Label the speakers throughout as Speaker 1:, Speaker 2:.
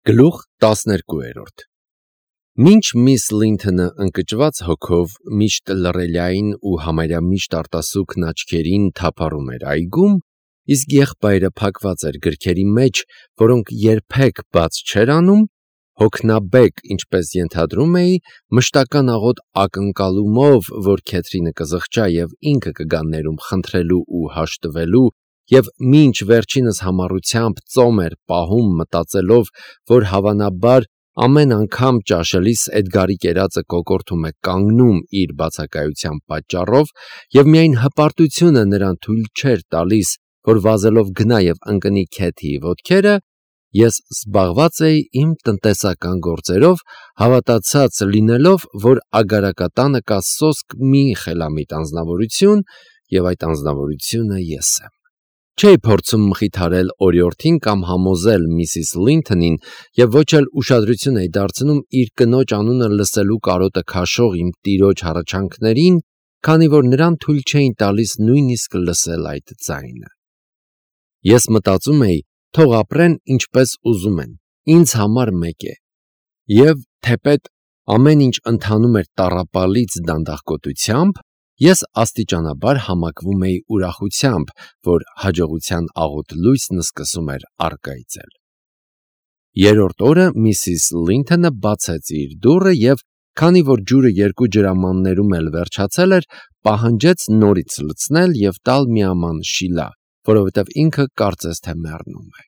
Speaker 1: Գլուխ 12 Մինչ միս Լինթոնը ընկճված հոգով միշտ լռելյային ու համարյա միշտ արտասուքն աչքերին թափառում էր այգում, իսկ եղբայրը փակված էր գրքերի մեջ, որոնք երբեք բաց չէր անում, հոգնաբեկ, ինչպես ենթադրում էի, մշտական աղոտ ակնկալումով, որ Քեթրինը կզղջա և ինքը կգա ներում խնդրելու ու հաշտվելու, և մինչ վերջինս համառությամբ ծոմ էր պահում մտածելով, որ հավանաբար ամեն անգամ ճաշելիս Էդգարի կերածը կոկորդում է կանգնում իր բացակայության պատճառով, և միայն հպարտությունը նրան թույլ չէր տալիս, որ վազելով գնա և ընկնի Քեթիի ոտքերը, ես զբաղված էի իմ տնտեսական գործերով, հավատացած լինելով, որ ագարակատանը կա սոսկ մի խելամիտ անձնավորություն, և այդ անձնավորությունը ես եմ։ Չէի փորձում մխիթարել օրիորդին կամ համոզել միսիս Լինթոնին և ոչ էլ ուշադրություն էի դարձնում իր կնոջ անունը լսելու կարոտը քաշող իմ տիրոջ հառաչանքներին, քանի որ նրան թույլ չէին տալիս նույնիսկ լսել այդ ձայնը։ Ես մտածում էի, թող ապրեն ինչպես ուզում են, ինձ համար մեկ է։ Եվ թեպետ ամեն ինչ ընթանում էր տառապալից դանդաղկոտությամբ, ես աստիճանաբար համակվում էի ուրախությամբ, որ հաջողության աղոտ լույսն սկսում էր առկայծել։ Երրորդ օրը միսիս Լինթոնը բացեց իր դուռը և, քանի որ ջուրը 2 ջրամաններում էլ վերջացել էր, պահանջեց նորից լցնել և տալ մի աման շիլա, որովհետև ինքը կարծես թե մեռնում է։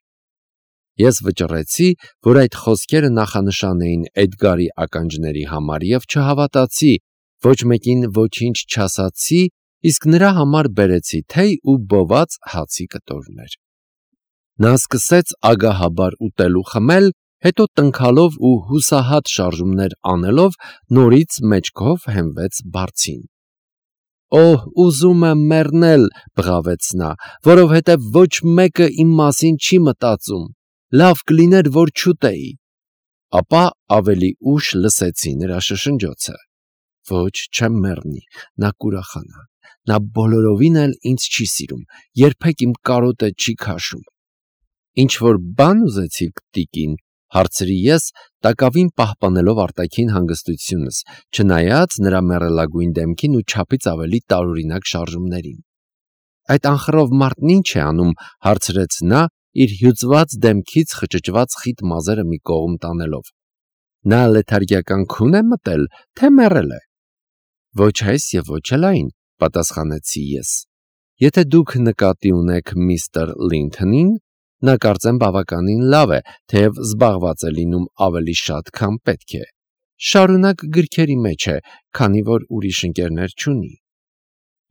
Speaker 1: Ես վճռեցի, որ այդ խոսքերը նախանշան էին Էդգարի ականջների համար և չհավատացի, ոչ մեկին ոչինչ չասացի, իսկ նրա համար բերեցի թեյ ու բոված հացի կտորներ։ Նա սկսեց ագահաբար ուտել ու խմել, հետո տնքալով ու հուսահատ շարժումներ անելով նորից մեջքով հենվեց բարձին։ «Օհ, ուզում եմ մեռնել», բղավեց նա, «որովհետև ոչ մեկը իմ մասին չի մտածում, լավ կլիներ, որ չուտեի»։ Ապա ավելի ուշ լսեցի նրա շշնջոցը. «Ոչ, չեմ մեռնի, նա կուրախանա, նա բոլորովին էլ ինձ չի սիրում, երբեք իմ կարոտը չի քաշում»։ «Ինչ-որ բան ուզեցիք, տիկին», հարցրի ես, տակավին պահպանելով արտաքին հանգստությունս, չնայած նրա մեռելագույն դեմքին ու չափից ավելի տարօրինակ շարժումներին։ «Այդ անխռով մարդն ինչ է անում», հարցրեց նա, իր հյուծված դեմքից խճճված խիտ մազերը մի կողմ տանելով։ «Նա լեթարգիական քուն է մտել, թե մեռել է»։ «Ոչ այս և ոչ էլ այն», պատասխանեցի ես։ «Եթե դուք նկատի ունեք միստր Լինթոնին, նա կարծեմ բավականին լավ է, թեև զբաղված է լինում ավելի շատ, քան պետք է։ Շարունակ գրքերի մեջ է, քանի որ ուրիշ ընկերներ չունի»։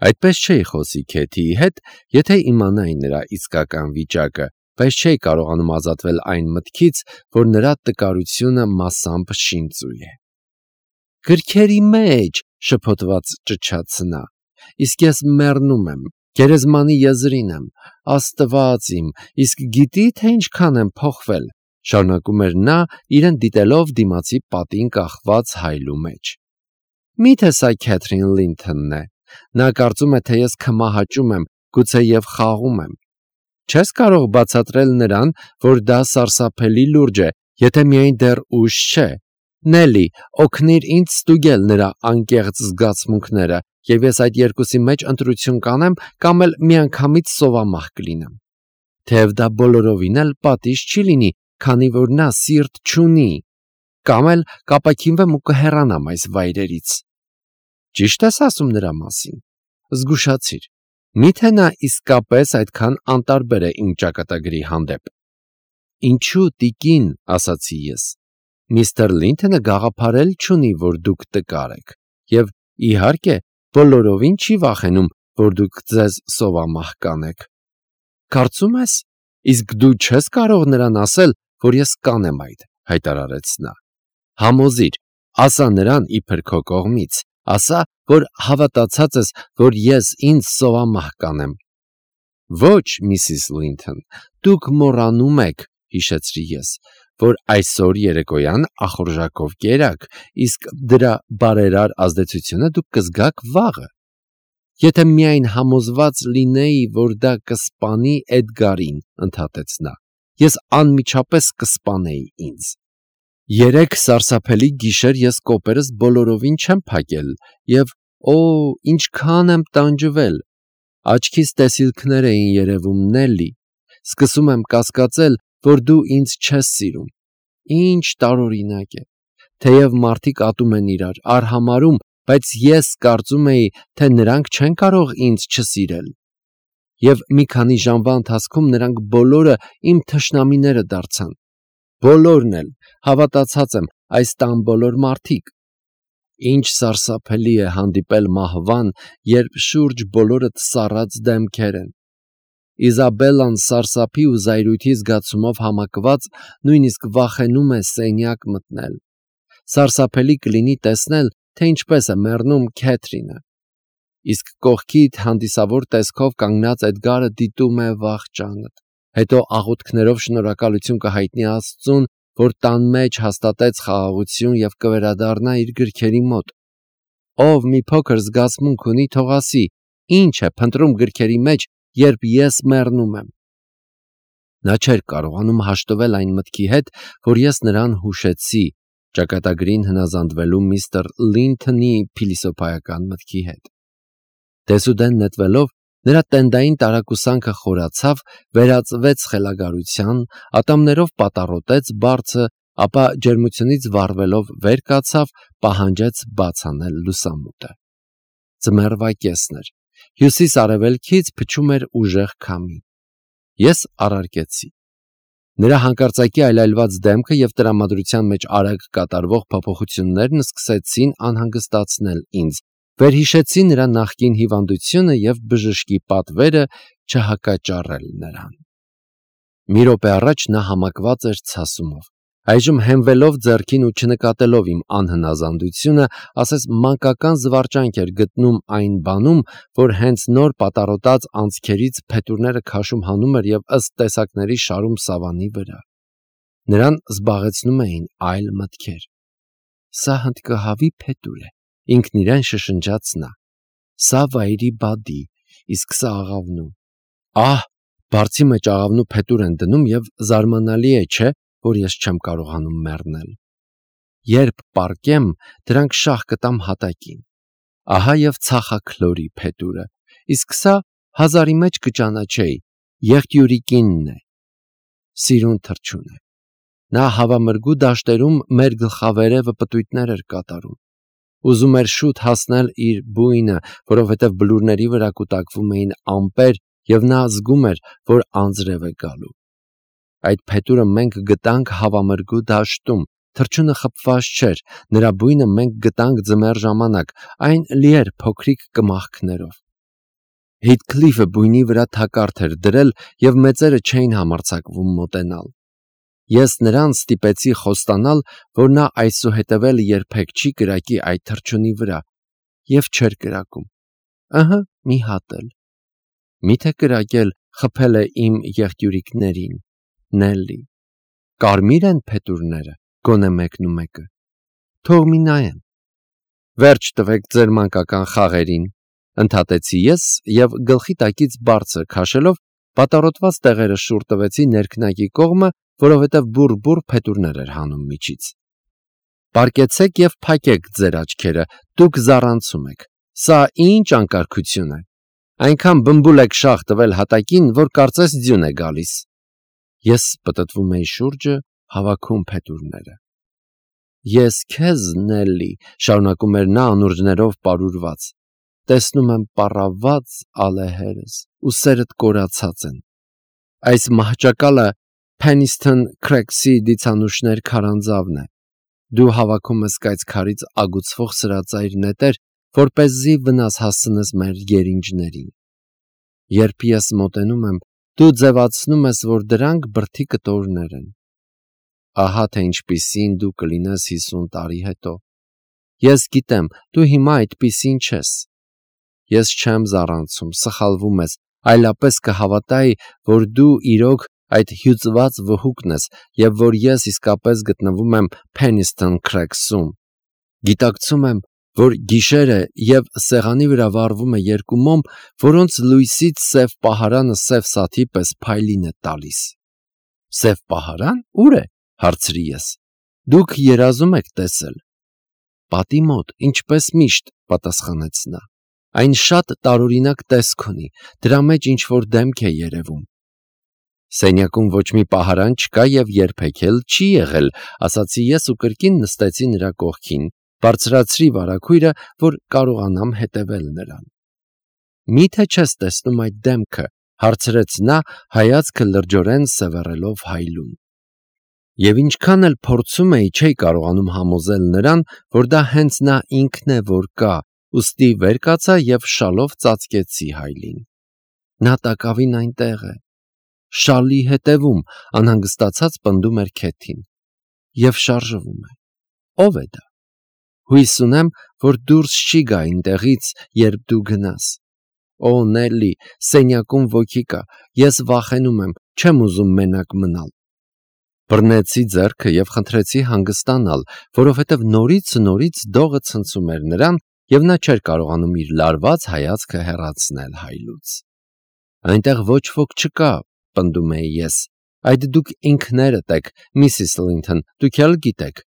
Speaker 1: Այդպես չէի խոսի Քեթիի հետ, եթե իմանայի նրա իսկական վիճակը, բայց չէի կարողանում ազատվել այն մտքից, որ նրա տկարությունը մասամբ շինծու է։ «Գրքերի մեջ», շփոթված ճչաց նա, «իսկ ես մեռնում եմ, գերեզմանի եզրին եմ, Աստված իմ, իսկ գիտի՞, թե ինչքան եմ փոխվել», շարունակում էր նա, իրեն դիտելով դիմացի պատին կախված հայլու մեջ։ «Մի՞թե սա Քեթրին Լինթոնն է։ Նա կարծում է, թե ես քմահաճում եմ, գուցեև խաղում եմ։ Չես կարող բացատրել նրան, որ դա սարսափելի լուրջ է, եթե միայն դեռ ուշ չէ։ Նելի, օգնիր ինձ ստուգել նրա անկեղծ զգացմունքները, և ես այդ երկուսի մեջ ընտրություն կանեմ կամ էլ միանգամից սովամահ կլինեմ։ Թեև դա բոլորովին էլ պատիժ չի լինի, քանի որ նա սիրտ չունի, կամ էլ կապաքինվեմ ու կհեռանամ այս վայրերից։ Ճիշտ ես ասում նրա մասին։ Զգուշացիր, մի՞թե նա իսկապես այդքան անտարբեր է իմ ճակատագրի հանդեպ։ Ինչու, տիկին, ասացի ես։ Միստր Լինթոնը գաղափար էլ չունի, որ դուք տկար եք, և, իհարկե, բոլորովին չի վախենում, որ դուք ձեզ սովամահ կանեք։ Կարծում ես, իսկ դու չես կարող նրան ասել, որ ես կանեմ այդ, հայտարարեց նա։ Համոզիր, ասա նրան իբր քո կողմից, ասա, որ հավատացած ես, որ ես ինձ սովամահ կանեմ։ Ոչ, միսիս Լինթոն, դուք մոռանում եք, հիշեցրի ես, որ այսօր երեկոյան ախորժակով կերաք, իսկ դրա բարերար ազդեցությունը դուք կզգաք վաղը։ Եթե միայն համոզված լինեի, որ դա կսպանի Էդգարին, ընդհատեց նա։ ես անմիջապես կսպանեի ինձ։ 3 սարսափելի գիշեր ես կոպերս բոլորովին չեմ փակել և ինչքան եմ տանջվել։ Աչքիս տեսիլքներ էին երևում, Նելլի։ Սկսում եմ կասկածել, որ դու ինձ չես սիրում։ Ինչ տարօրինակ է։ Թեև մարդիկ ատում են իրար, արհամարհում, բայց ես կարծում էի, թե նրանք չեն կարող ինձ չսիրել։ Եվ մի քանի ժամվա ընթացքում նրանք բոլորը իմ թշնամիները դարձան։ Բոլորն էլ, հավատացած եմ, այս տան բոլոր մարդիկ։ Ինչ սարսափելի է հանդիպել մահվան, երբ շուրջ բոլորդ սառած դեմքեր են։ Իզաբելլան սարսափի ու զայրույթի զգացումով համակված նույնիսկ վախենում է սենյակ մտնել։ Սարսափելի կլինի տեսնել, թե ինչպես է մեռնում Քեթրինը։ Իսկ կողքիդ հանդիսավոր տեսքով կանգնած Էդգարը դիտում է վախճանդ։ Հետո աղոթքներով շնորհակալություն կհայտնի Աստծուն, որ տան մեջ հաստատեց խաղաղություն և կվերադառնա իր գրքերի մոտ։ Ով մի փոքր զգացմունք ունի, թող ասի, ինչ է փնտրում գրքերի մեջ, երբ ես մեռնում եմ։ Նա չէր կարողանում հաշտվել այն մտքի հետ, որ ես նրան հուշեցի, ճակատագրին հնազանդվելու միստր Լինթոնի փիլիսոփայական մտքի հետ։ Դեսուդեն նետվելով, նրա տենդային տարակուսանքը խորացավ, վերածվեց խելագարության, ատամներով պատառոտեց բարձը, ապա ջերմությունից վառվելով վեր կացավ, պահանջեց բաց անել լուսամուտը։ Ձմեռվա կեսն էր։ Հյուսիս-արևելքից փչում էր ուժեղ քամի։ Ես առարկեցի։ Նրա հանկարծակի այլայլված դեմքը և տրամադրության մեջ արագ կատարվող փոփոխություններն սկսեցին անհանգստացնել ինձ, վերհիշեցի նրա նախկին հիվանդությունը և բժշկի պատվերը չհակաճառել նրան։ Մի րոպե առաջ նա համակված էր ցասումով։ Այժմ հենվելով ձեռքին ու չնկատելով իմ անհնազանդությունը, ասես մանկական զվարճանք էր գտնում այն բանում, որ հենց նոր պատառոտած անցքերից փետուրները քաշում հանում էր և ըստ տեսակների շարում սավանի վրա։ Նրան զբաղեցնում էին այլ մտքեր։ Սա հնդկահավի փետուր է, ինքն իրեն շշնջաց նա։ Սա վայրի բադի, իսկ սա աղավնու։ Բարձի մեջ աղավնու փետուր են դնում և զարմանալի է, չէ՞, որ ես չեմ կարողանում մեռնել։ Երբ պառկեմ, դրանք շաղ կտամ հատակին։ Ահա և ցախաքլորի փետուրը, իսկ սա հազարի մեջ կճանաչեի, եղտյուրիկինն է։ Սիրուն թռչուն է։ Նա հավամրգու դաշտերում մեր գլխավերևը պտույտներ էր կատարում։ Ուզում էր շուտ հասնել իր բույնը, որովհետև բլուրների վրա կուտակվում էին ամպեր, և նա զգում էր, որ անձրև է գալու։ Այդ փետուրը մենք գտանք հավամրգու դաշտում, թռչունը խփված չէր, նրա բույնը մենք գտանք ձմեռ ժամանակ, այն լի էր փոքրիկ կմախքներով։ Հիթքլիֆը բույնի վրա թակարդ էր դրել, և մեծերը չէին համարձակվում մոտենալ։ Ես նրան ստիպեցի խոստանալ, որ նա այսուհետև էլ երբեք չի կրակի այդ թռչունի վրա, և չէր կրակում։ Մի հատ էլ։ Մի՞թե կրակել խփել է իմ եղտյուրիկներին, Նելլի։ Կարմիր են փետուրները, գոնե մեկնումեկը։ Թող մի նայեն։ Վերջ տվեք ձեր մանկական խաղերին, ընդհատեցի ես և գլխի տակից բարձր քաշելով պատառոտված տեղերը շուռ տվեցի ներքնակի կողմը, որովհետև բուռ փետուրներ էր հանում միջից։ Պառկեցեք և փակեք ձեր աչքերը, դուք զառանցում եք։ Սա ինչ անկարգություն է։ Այնքան բմբուլ եք շաղ տվել հատակին, որ կարծես ձյուն է գալիս։ Ես պտտվում էի շուրջը, հավաքում փետուրները։ Ես քեզ, Նելլի, շարունակում էր նա անուրջներով պարուրված, տեսնում եմ պառավված ալեհերս, ուսերդ կորացած են։ Այս մահճակալը Փենիսթոն Քրեքսի դիցանուշներ քարանձավն է։ Դու հավաքում ես կայծքարից ագուցվող սրածայր նետեր, որպեսզի վնաս հասցնես մեր երինջներին։ Երբ ես մոտենում եմ, դու ձևացնում ես, որ դրանք բրդի կտորներ են։ Ահա թե ինչպիսին դու կլինես 50 տարի հետո։ Ես գիտեմ, դու հիմա այդպիսին չես։ Ես չեմ զառանցում, սխալվում ես, այլապես կհավատայի, որ դու իրոք այդ հյուծված վհուկն ես և որ ես իսկապես գտնվում եմ Փենիսթոն Քրեքսում։ Գիտակցում եմ, որ գիշեր է և սեղանի վրա վառվում է երկու մոմ, որոնց լույսից սև պահարանը սև սաթի պես փայլին է տալիս։ Սև պահարան, ուր է, հարցրի ես։ Դուք երազում եք տեսել։ Պատի մոտ, ինչպես միշտ, պատասխանեց նա։ Այն շատ տարօրինակ տեսք ունի, դրա մեջ ինչ-որ դեմք է երևում։ Սենյակում ոչ մի պահարան չկա և երբեք էլ չի եղել, ասացի ես ու կրկին նստեցի նրա կողքին, բարձրացրի վարագույրը, որ կարողանամ հետևել նրան։ Մի՞թե չես տեսնում այդ դեմքը, հարցրեց նա, հայացքը լրջորեն սևեռելով հայլուն։ Եվ ինչքան էլ փորձում էի, չէի կարողանում համոզել նրան, որ դա հենց նա ինքն է, որ կա, ուստի վեր կացա և շալով ծածկեցի հայլին։ Նա տակավին այնտեղ է, շալի հետևում, անհանգստացած պնդում էր Քեթին, և շարժվում է։ Ո՞վ է դա։ Հույս ունեմ, որ դուրս չի գա այնտեղից, երբ դու գնաս։ Օ, Նելի, սենյակում ոգի կա, ես վախենում եմ, չեմ ուզում մենակ մնալ։ Բռնեցի ձեռքը և խնդրեցի հանգստանալ, որովհետև նորից դողը ցնցում էր նրան, և նա չէր կարողանում իր լարված հայացքը հեռացնել հայլուց։ Այնտեղ ոչ ոք չկա, պնդում էի ես։ Այդ դուք ինքներդ եք, Միսիս Լինթոն, դուք էլ գիտեք։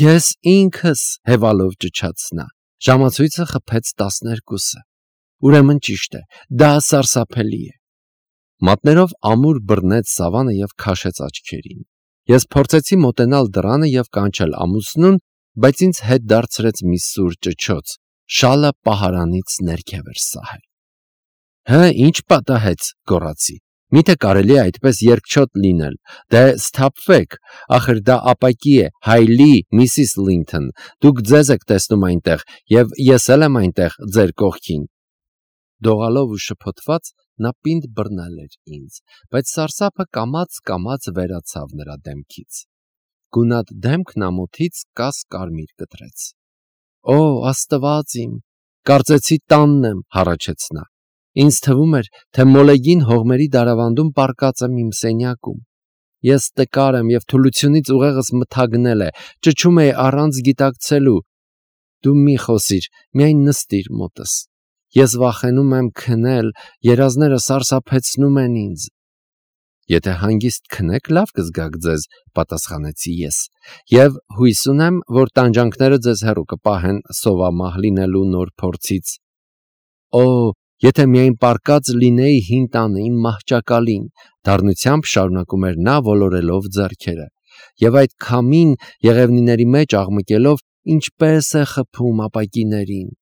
Speaker 1: Ես ինքս, հևալով ճչաց նա, ժամացույցը խփեց 12-ը։ Ուրեմն ճիշտ է, դա սարսափելի է։ Մատներով ամուր բռնեց սավանը և քաշեց աչքերին։ Ես փորձեցի մոտենալ դռանը և կանչել ամուսնուն, բայց ինձ հետ դարձրեց մի սուր ճչոց, շալը պահարանից ներքև էր սահել։ Հը, ինչ պատահեց, գոռացի։ Միթե կարելի է այդպես երկչոտ լինել, դե սթափվեք, ախր դա ապակի է, հայլի, Միսիս Լինթոն, դուք ձեզ եք տեսնում այնտեղ, և ես էլ եմ այնտեղ, ձեր կողքին։ Դողալով ու շփոթված նա պինդ բռնել էր ինձ, բայց սարսափը կամաց վերացավ նրա դեմքից։ Գունատ դեմքն ամոթից կաս-կարմիր կտրեց։ Օ, Աստված իմ, կարծեցի տանն եմ, հառաչեց նա։ Ինձ թվում էր, թե մոլեգին հողմերի դարավանդում պառկած եմ իմ սենյակում։ Ես տկար եմ և թուլությունից ուղեղս մթագնել է, ճչում էի առանց գիտակցելու։ Դու մի խոսիր, միայն նստիր մոտս։ Ես վախենում եմ քնել, երազները սարսափեցնում են ինձ։ Եթե հանգիստ քնեք, լավ կզգաք ձեզ, պատասխանեցի ես, և հույս ունեմ, որ տանջանքները ձեզ հեռու կպահեն սովամահ լինելու նոր փորձից։ Օ, եթե միայն պառկած լինեի հին տանը իմ մահճակալին, դառնությամբ շարունակում էր նա ոլորելով ձեռքերը, և այդ քամին եղևնիների մեջ աղմկելով ինչպես է խփում ապակիներին։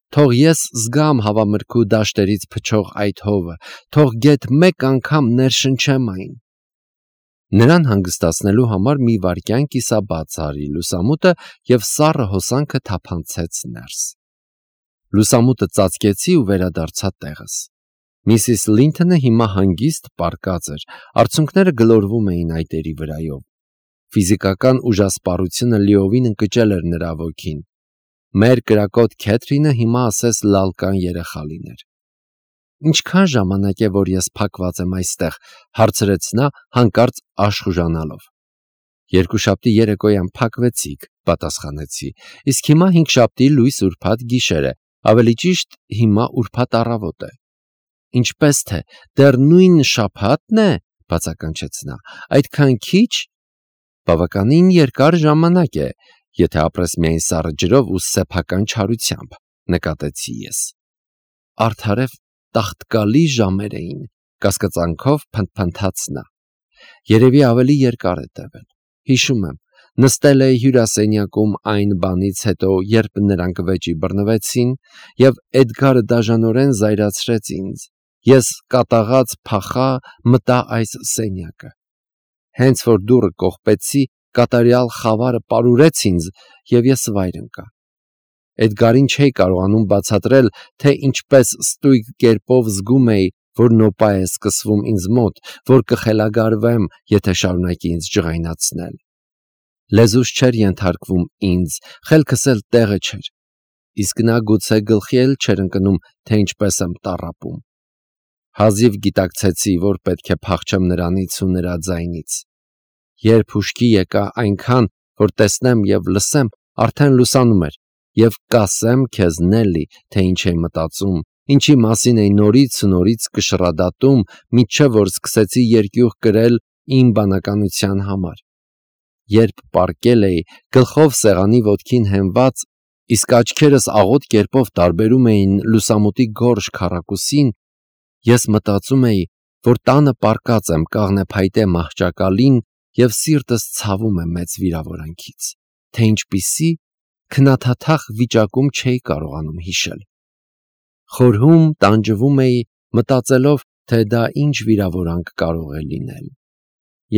Speaker 1: Թող ես զգամ հավամրգու դաշտերից փչող այդ հովը, թող գեթ մեկ անգամ ներշնչեմ այն։ Նրան հանգստացնելու համար մի վայրկյան կիսաբաց արի լուսամուտը և սառը հոսանքը թափանցեց ներս։ Լուսամուտը ծածկեցի ու վերադարձա տեղս։ Միսիս Լինթոնը հիմա հանգիստ պառկած էր, արցունքները գլորվում էին այտերի վրայով։ Ֆիզիկական ուժասպառությունը լիովին ընկճել էր նրա ոգին։ Մեր կրակոտ Քեթրինը հիմա ասես լալկան երեխա լիներ։ Ինչքան ժամանակ է, որ ես փակված եմ այստեղ, հարցրեց նա հանկարծ աշխուժանալով։ Երկուշաբթի երեկոյան փակվեցիք, պատասխանեցի, իսկ հիմա հինգշաբթի լույս ուրբաթ գիշեր է, ավելի ճիշտ հիմա ուրբաթ առավոտ է։ Ինչպես թե, դեռ նույն շաբաթն է, բացականչեց նա, այդքան քիչ։ Բավականին երկար ժամանակ է, եթե ապրես միայն սառը ջրով ու սեփական չարությամբ, նկատեցի ես։ Արդարև տաղտկալի ժամեր էին, կասկածանքով փնթփնթաց նա։ Երևի ավելի երկար է տևել։ Հիշում եմ, նստել էի հյուրասենյակում այն բանից հետո, երբ նրանք վեճի բռնվեցին, և Էդգարը դաժանորեն զայրացրեց ինձ։ Ես կատաղած փախա, մտա այս սենյակը։ Հենց որ դուռը կողպեցի, կատարյալ խավարը պարուրեց ինձ, և ես վայր ընկա։ Էդգարին չէի կարողանում բացատրել, թե ինչպես ստույգ կերպով զգում էի, որ նոպա է սկսվում ինձ մոտ, որ կխելագարվեմ, եթե շարունակի ինձ ջղայնացնել։ Լեզուս չէր ենթարկվում ինձ, խելքս էլ տեղը չէր, իսկ նա գուցե գլխի էլ չէր ընկնում, թե ինչպես եմ տառապում։ Հազիվ գիտակցեցի, որ պետք է փախչեմ նրանից ու նրա ձայնից։ Երբ հուշքի եկա այնքան, որ տեսնեմ և լսեմ, արդեն լուսանում էր, և կասեմ քեզ, Նելի, թե ինչ էի մտածում, ինչի մասին էի նորից ու նորից կշռադատում, մինչև որ սկսեցի երկյուղ կրել իմ բանականության համար։ Երբ պառկել էի, գլխով սեղանի ոտքին հենված, իսկ աչքերս աղոտ կերպով տարբերում էին լուսամուտի գորշ քառակուսին, ես մտածում էի, որ տանը պառկած եմ կաղնեփայտե մահճակալին և սիրտս ցավում է մեծ վիրավորանքից, թե ինչպիսի քնաթաթախ վիճակում չէի կարողանում հիշել։ Խորհում, տանջվում էի, մտածելով, թե դա ինչ վիրավորանք կարող է լինել։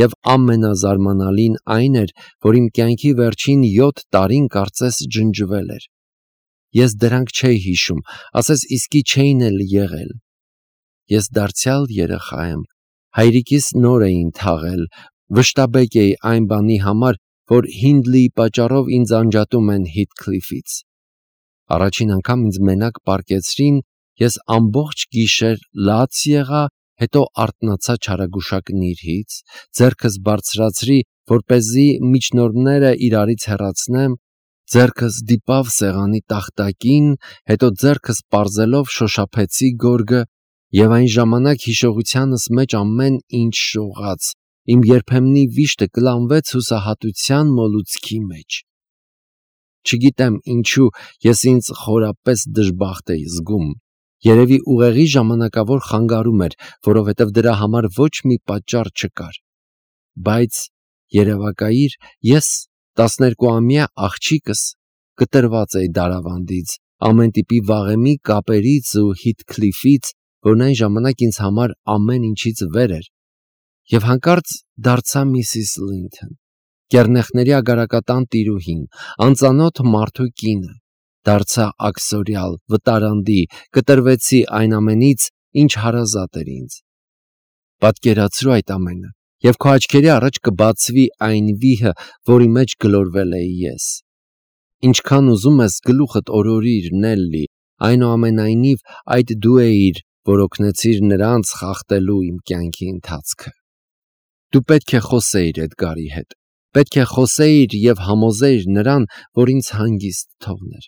Speaker 1: Եվ ամենազարմանալին այն էր, որ իմ կյանքի վերջին 7 տարին կարծես ջնջվել էր։ Ես դրանք չէի հիշում, ասես իսկի չէին էլ եղել։ Ես դարձյալ երեխա եմ, հայրիկիս նոր էին թաղել, վշտաբեկ էի այն բանի համար, որ Հինդլիի պատճառով ինձ անջատում են Հիթքլիֆից։ Առաջին անգամ ինձ մենակ պառկեցրին, ես ամբողջ գիշեր լաց եղա, հետո արթնացա չարագուշակնիրից, ձեռքս բարձրացրի, որպեսզի միջնորդները իրարից հեռացնեմ, ձեռքս դիպավ սեղանի տախտակին, հետո ձեռքս պարզելով շոշափեցի գորգը, և այն ժամանակ հիշողությանս մեջ ամեն ինչ շողաց, իմ երբեմնի վիշտը կլանվեց հուսահատության մոլուցքի մեջ։ Չգիտեմ ինչու ես ինձ խորապես դժբախտ էի զգում, երևի ուղեղի ժամանակավոր խանգարում էր, որովհետև դրա համար ոչ մի պատճառ չկար, բայց երևակայիր, ես 12-ամյա աղջիկս կտրված էի դարավանդից, ամեն տիպի վաղեմի կապերից ու Հիթքլիֆից, որն այն ժամանակ ինձ համար ամեն ինչից վեր էր, և հանկարծ դարձա Միսիս Լինթոն, կեռնեխների ագարակատան տիրուհին, անծանոթ մարդու կինը, դարձա աքսորյալ, վտարանդի, կտրվեցի այն ամենից, ինչ հարազատ էր ինձ։ Պատկերացրու այդ ամենը, և քո աչքերի առաջ կբացվի այն վիհը, որի մեջ գլորվել էի ես։ Ինչքան ուզում ես գլուխդ օրորիր, Նելլի, այնուամենայնիվ այդ դու էիր, որ օգնեցիր նրանց խախտելու իմ կյանքի ընթացքը։ Դու պետք է խոսեիր Էդգարի հետ, պետք է խոսեիր և համոզեիր նրան, որ ինձ հանգիստ թողներ։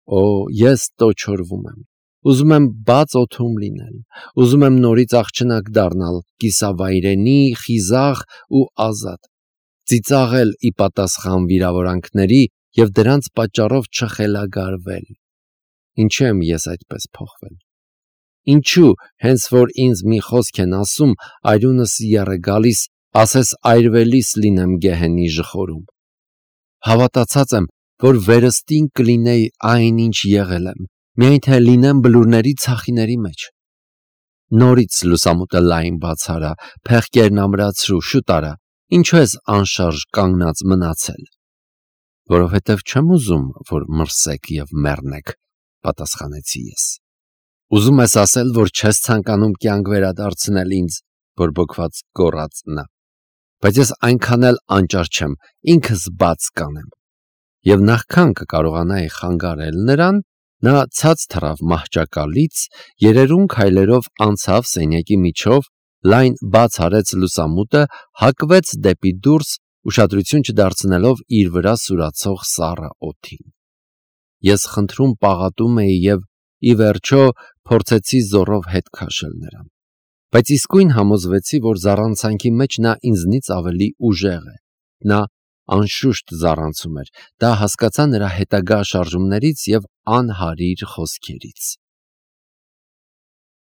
Speaker 1: Օ, ես տոչորվում եմ, ուզում եմ բաց օդում լինել, ուզում եմ նորից աղջնակ դառնալ, կիսավայրենի, խիզախ ու ազատ, ծիծաղել ի պատասխան վիրավորանքների և դրանց պատճառով չխելագարվել։ Ինչու եմ ես այդպես փոխվել։ Ինչու, հենց որ ինձ մի խոսք են ասում, արյունս եռ է գալիս, ասես այրվելիս լինեմ գեհենի ժխորում։ Հավատացած եմ, որ վերստին կլինեի այն, ինչ եղել եմ, միայն թե լինեմ բլուրների ցախիների մեջ։ Նորից լուսամուտը լայն բացարա, փեղկերն ամրացրու, շուտ արա, ինչու ես անշարժ կանգնած մնացել։ Որովհետև չեմ ուզում, որ մրսեք և մեռնեք, պատասխանեցի ես։ Ուզում ես ասել, որ չես ցանկանում կյանք վերադարձնել ինձ, բորբոքված գոռաց նա։ Բայց ես այնքան էլ անճար չեմ, ինքս բաց կանեմ։ Եվ նախքան կկարողանայի խանգարել նրան, նա ցած թռավ մահճակալից, երերուն քայլերով անցավ սենյակի միջով, լայն բաց արեց լուսամուտը, հակվեց դեպի դուրս, ուշադրություն չդարձնելով իր վրա սուրացող սառը օդին։ Ես խնդրում պաղատում էի և, ի վերջո, փորձեցի զոռով հետ քաշել նրան։ Բայց իսկույն համոզվեցի, որ զառանցանքի մեջ նա ինձնից ավելի ուժեղ է։ Նա անշուշտ զառանցում էր, դա հասկացա նրա հետագա շարժումներից և անհարիր խոսքերից։